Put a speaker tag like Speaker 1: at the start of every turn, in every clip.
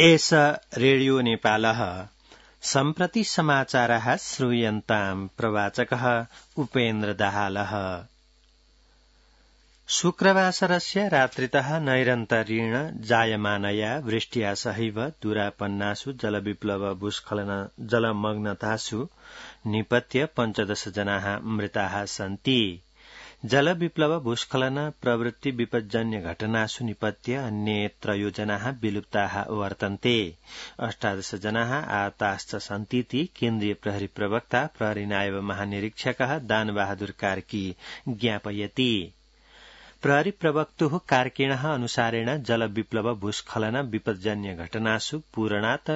Speaker 1: एष रेडियो नेपालः सम्प्रति समाचारः श्रूयन्ताम् प्रवाचकः उपेन्द्र दाहालः। शुक्रवासरस्य रात्रितः नैरन्तर्येण जायमानया वृष्ट्या सहैव दूरापन्नासु जलविप्लव भूस्खलन जलमग्नतासु निपत्य 15 जनाः मृताः सन्ति। जलविप्लव भूस्खलन प्रवृत्ति विपज्जन्य घटनासु निपत्य अन्ये 3 जनाः विलुप्ताः वर्तन्ते। 18 जनाः आहताश्च सन्तीति केन्द्रीय प्रहरी प्रवक्ता प्रहरी नायब महानिरीक्षकः दानबहादुर कार्की ज्ञापयति। प्रहरी प्रवक्तुः कार्किणः अनुसारेण जलविप्लव भूस्खलन विपज्जन्य घटनासु पूर्णात्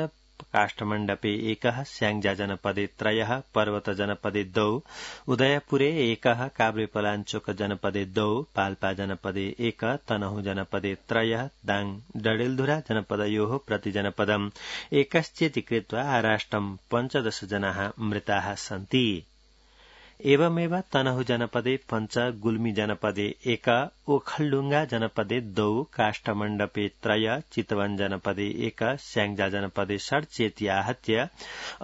Speaker 1: काष्ठमण्डपे 1, स्याङ्जा जनपदे 3, पर्वत जनपदे 2, उदयपुरे 1, काभ्रेपलाञ्चोक जनपदे 2, पाल्पा जनपदे 1, तनहुँ जनपदे 3, दाङ डडेलधुरा जनपदयोः प्रतिजनपदम् 1 कृत्वा आराष्टम् 15 जनाः मृताः सन्ति। एवमेव तनहुँ जनपदे 5, गुल्मी जनपदे 1, ओखलढुङ्गा जनपदे 2, काष्ठमण्डपे 3, चितवन जनपदे 1, स्याङ्जा जनपदे 6 चेति आहत्य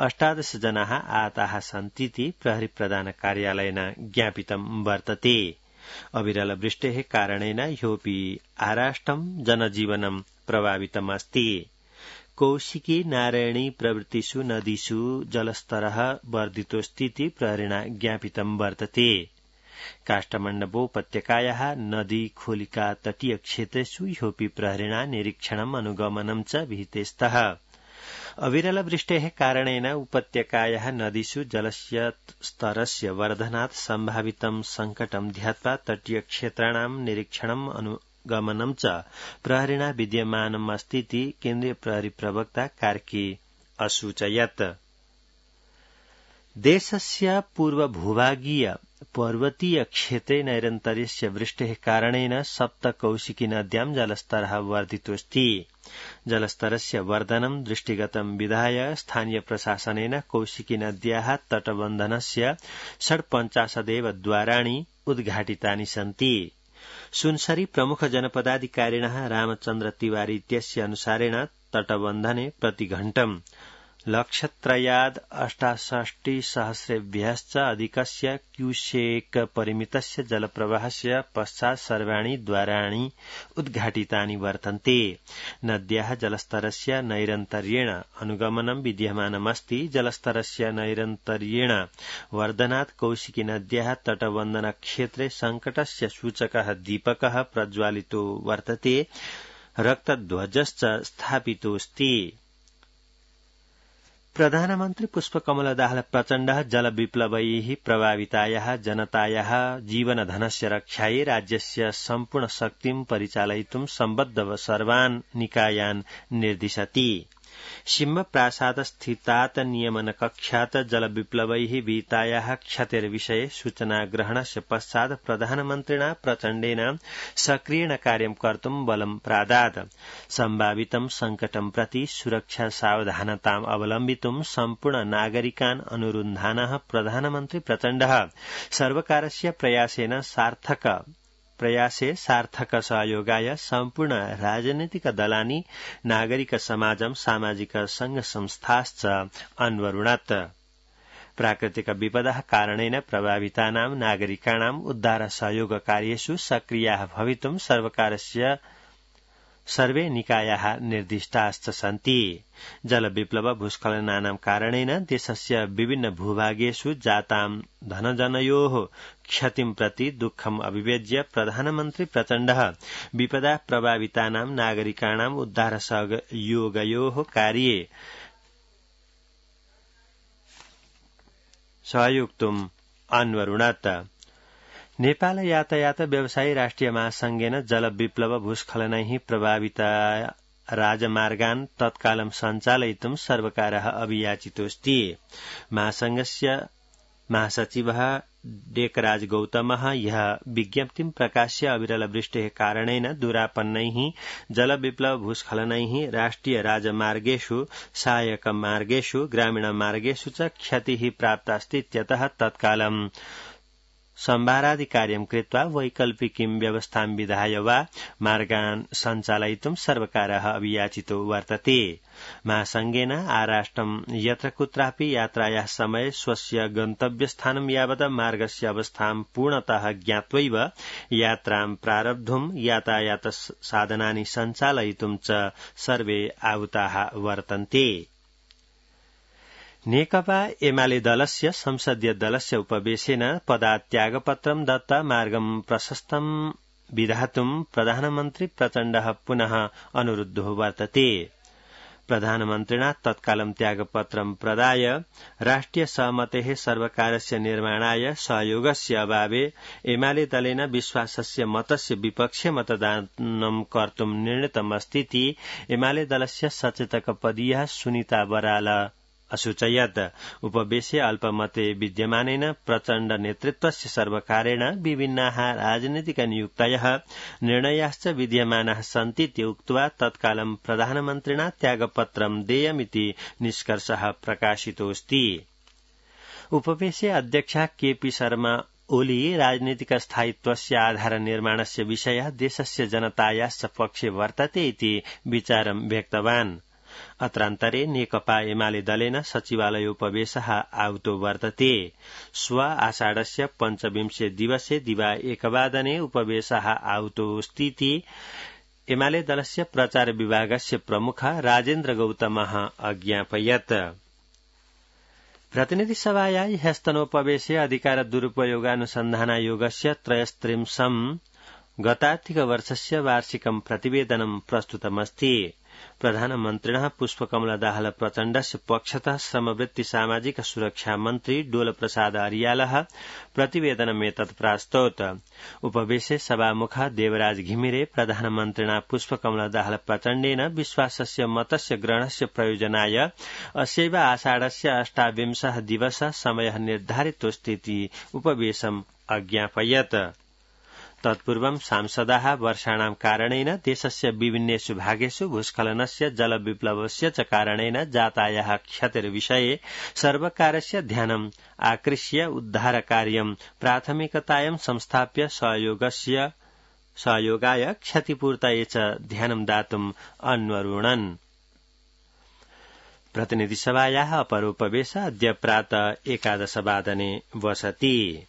Speaker 1: 18 जनाः आहताः सन्तीति प्रहरी प्रधान कार्यालयेन ज्ञापितं वर्तते। अविरल वृष्टेः कारणेन ह्योऽपि आराष्टं जनजीवनं प्रभावितमस्ति। कौशिकी नारायणी प्रभृतिषु नदीषु जलस्तरः वर्धितोऽस्तीति प्रहरिणा ज्ञापितं वर्तते। काष्ठमण्डपोपत्यकायाः नदी खोलिका तटीय क्षेत्रेषु ह्योऽपि प्रहरिणा निरीक्षणम् अनुगमनं च विहिते स्तः। अविरल वृष्टेः कारणेन उपत्यकायाः नदीषु जलस्य स्तरस्य वर्धनात् सम्भावितं संकटं ध्यात्वा तटीय क्षेत्राणां निरीक्षणम् अनुगमनं च प्रहरिणा विद्यमानमस्तीति केन्द्रीय प्रहरी प्रवक्ता कार्की असूचयत्। देशस्य पूर्वभूभागीय पर्वतीय क्षेत्रे नैरन्तर्यस्य वृष्टेः कारणेन 7 कौशिकी नद्यां जलस्तरः वर्धितोऽस्ति। जलस्तरस्य वर्धनं दृष्टिगतं विधाय स्थानीय प्रशासनेन कौशिकी नद्याः तटबन्धनस्य 56 द्वाराणि उद्घाटितानि सन्ति। सुनसरी प्रमुख जनपदाधिकारिणः रामचन्द्र तिवारी इत्यस्य अनुसारेण तटबन्धने प्रतिघण्टम् 1,68,000 अधिकस्य क्यूसेक परिमितस्य जलप्रवाहस्य पश्चात् सर्वाणि द्वाराणि उद्घाटितानि वर्तन्ते। नद्याः जलस्तरस्य नैरन्तर्येण अनुगमनं विद्यमानमस्ति। जलस्तरस्य नैरन्तर्येण वर्धनात् कौशिकी नद्याः तटबन्धनक्षेत्रे संकटस्य सूचकः दीपकः प्रज्वालितो वर्तते, रक्तध्वजश्च स्थापितोऽस्ति। प्रधानमन्त्री पुष्पकमल दाहाल प्रचण्डः जलविप्लवैः प्रभावितायाः जनतायाः जीवनधनस्य रक्षायै राज्यस्य सम्पूर्ण शक्तिं परिचालयितुं सम्बद्ध सर्वान् निकायान् निर्दिशति। सिंह प्रासाद स्थितात् नियमन कक्षात् जलविप्लवैः विहितायाः क्षतेर्विषये सूचनाग्रहणस्य पश्चात् प्रधानमन्त्रिणा प्रचण्डेन सक्रियेण कार्यं कर्तुं बलं प्रादात्। सम्भावितं संकटं प्रति सुरक्षा सावधानताम् अवलम्बितुं सम्पूर्ण नागरिकान् अनुरुन्धानः प्रधानमन्त्री प्रचण्डः सर्वकारस्य प्रयासे सार्थक सहयोगाय सम्पूर्ण राजनैतिक दलानि नागरिक समाजं सामाजिक संघ संस्थाश्च अन्वरुणत्। प्राकृतिक विपदः कारणेन प्रभावितानां नागरिकाणाम् उद्धार सहयोग कार्येषु सक्रियाः भवितुं सर्वकारस्य सर्वे निकायाः निर्दिष्टाश्च सन्ति। जलविप्लव भूस्खलनानां कारणेन देशस्य विभिन्न भूभागेषु जातां धनजनयोः क्षतिं प्रति दुःखम् अभिव्यज्य प्रधानमन्त्री प्रचण्डः विपदा प्रभावितानां नागरिकाणाम् उद्धार सहयोगयोः कार्ये सहयोक्तुम् अन्वरुणत्। नेपाल यातायात व्यवसायी राष्ट्रिय महासंघेन जलविप्लव भूस्खलनैः प्रभावित राजमार्गान् तत्कालं सञ्चालयितुं सर्वकारः अभियाचितोऽस्ति। महासंघस्य महासचिवः डेकराज गौतमः यह विज्ञप्तिं प्रकाश्य अविरल वृष्टेः कारणेन दूरापन्नैः जलविप्लव भूस्खलनैः राष्ट्रिय राजमार्गेषु सहायक मार्गेषु ग्रामीण मार्गेषु च क्षतिः प्राप्तास्ति इत्यतः तत्कालं संभारादि कार्यं कृत्वा वैकल्पिकीं व्यवस्थां विधाय वा मार्गान् सञ्चालयितुं सर्वकारः अभियाचितो वर्तते। महासंघेन आराष्ट्रं यत्र कुत्रापि यात्रायाः समये स्वस्य गन्तव्यस्थानं यावत् मार्गस्य अवस्थां पूर्णतः ज्ञात्वैव यात्रां प्रारब्धुं यातायात साधनानि सञ्चालयितुं च सर्वे आहुताः वर्तन्ते। नेकपा एमाले दलस्य संसदीय दलस्य उपवेशेन पदात्यागपत्रं दत्त्वा मार्गं प्रशस्तं विधातुं प्रधानमन्त्री प्रचण्डः पुनः अनुरुद्धो वर्तते। प्रधानमन्त्रिणा तत्कालं त्यागपत्रं प्रदाय राष्ट्रिय सहमतेः सर्वकारस्य निर्माणाय सहयोगस्य अभावे एमाले दलेन विश्वासस्य मतस्य विपक्षे मतदानं कर्तुं निर्णीतमस्तीति एमाले दलस्य सचेतकपदीयः सुनीता बराल असूचयत्। उपवेशे अल्पमते विद्यमानेन प्रचण्ड नेतृत्वस्य सर्वकारेण विभिन्नाः राजनीतिकनियुक्तयः निर्णयाश्च विद्यमानाः सन्तीति उक्त्वा तत्कालं प्रधानमन्त्रिणा त्यागपत्रं देयमिति निष्कर्षः प्रकाशितोऽस्ति। उपवेशे अध्यक्षः केपी शर्मा ओली राजनीतिक स्थायित्वस्य आधार निर्माणस्य विषयः देशस्य जनतायाश्च पक्षे वर्तते इति विचारं व्यक्तवान्। अत्रान्तरे नेकपा एमाले दलेन सचिवालयोपवेशः आहुतो वर्तते। श्व आषाढस्य 25 दिवसे दिवा 1 वादने उपवेशः आहुतोऽस्तीति एमाले दलस्य प्रचार विभागस्य प्रमुख राजेन्द्र गौतमः अज्ञापयत्। प्रतिनिधिसभाया ह्यस्तनोपवेशे अधिकार दुरुपयोगानुसन्धानायोगस्य 33 गतार्थिकवर्षस्य वार्षिकं प्रतिवेदनं प्रस्तुतमस्ति। प्रधानमन्त्रिणः पुष्पकमलदाहाल प्रचण्डस्य पक्षतः श्रमवृत्ति सामाजिक सुरक्षा मन्त्री डोलप्रसाद अर्यालः प्रतिवेदनमेतत् प्रास्तौत्। उपवेशे सभामुखः देवराज घिमिरे प्रधानमन्त्रिणा पुष्पकमलदाहाल प्रचण्डेन विश्वासस्य मतस्य ग्रहणस्य प्रयोजनाय अस्यैव आषाढस्य 28 दिवसः समयः निर्धारितोऽस्तीति उपवेशम् अज्ञापयत्। तत्पूर्वं सांसदाः वर्षाणां कारणेन देशस्य विभिन्नेषु भागेषु भूस्खलनस्य जलविप्लवस्य च कारणेन जातायाः क्षतिर्विषये सर्वकारस्य ध्यानम् आकृष्य उद्धारकार्यं प्राथमिकतायां संस्थाप्य सहयोगाय क्षतिपूर्तये च ध्यानं दातुम् अन्वरुणन्। प्रतिनिधिसभायाः अपरोपवेशः अद्य प्रातः 11 वादने वसति।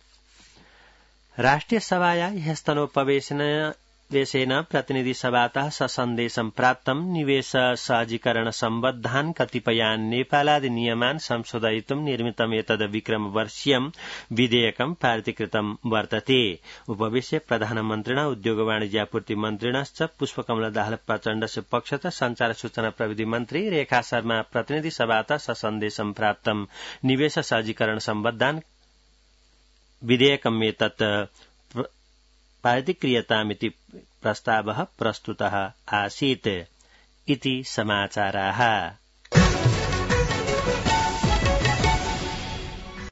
Speaker 1: राष्ट्रिय सभाया ह्यस्तनोपवेशेन प्रतिनिधिसभातः ससन्देशं प्राप्तं निवेश सहजीकरण सम्बद्धान् कतिपयान् नेपालादि नियमान् संशोधयितुं निर्मितम् एतद् विक्रमवर्षीयं विधेयकं पारितीकृतं वर्तते। उपवेशे प्रधानमन्त्रिणा उद्योग वाणिज्यापूर्ति मन्त्रिणश्च पुष्पकमलदाहाल प्रचण्डस्य पक्षतः संचार सूचना प्रविधि मन्त्री रेखा शर्मा प्रतिनिधिसभातः ससन्देशं प्राप्तं निवेश सहजीकरण सम्बद्धान् विधेयकमेतत् पारितीक्रियतामिति प्रस्तावः प्रस्तुतः आसीत् इति समाचाराः।